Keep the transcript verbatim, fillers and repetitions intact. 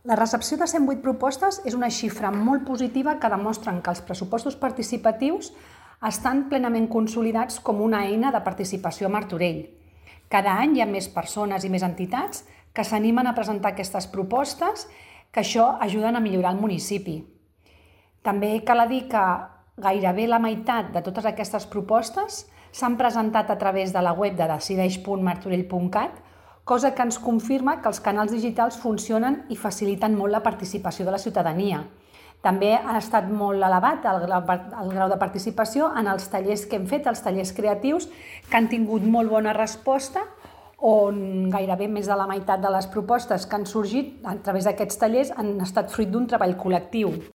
La recepció de cent vuit propostes és una xifra molt positiva que demostren que els pressupostos participatius estan plenament consolidats com una eina de participació a Martorell. Cada any hi ha més persones i més entitats que s'animen a presentar aquestes propostes, que això ajuden a millorar el municipi. També cal dir que gairebé la meitat de totes aquestes propostes s'han presentat a través de la web de decideix punt martorell punt cat, cosa que ens confirma que els canals digitals funcionen i faciliten molt la participació de la ciutadania. També ha estat molt elevat el grau, el grau de participació en els tallers que hem fet, els tallers creatius, que han tingut molt bona resposta, on gairebé més de la meitat de les propostes que han sorgit a través d'aquests tallers han estat fruit d'un treball col·lectiu.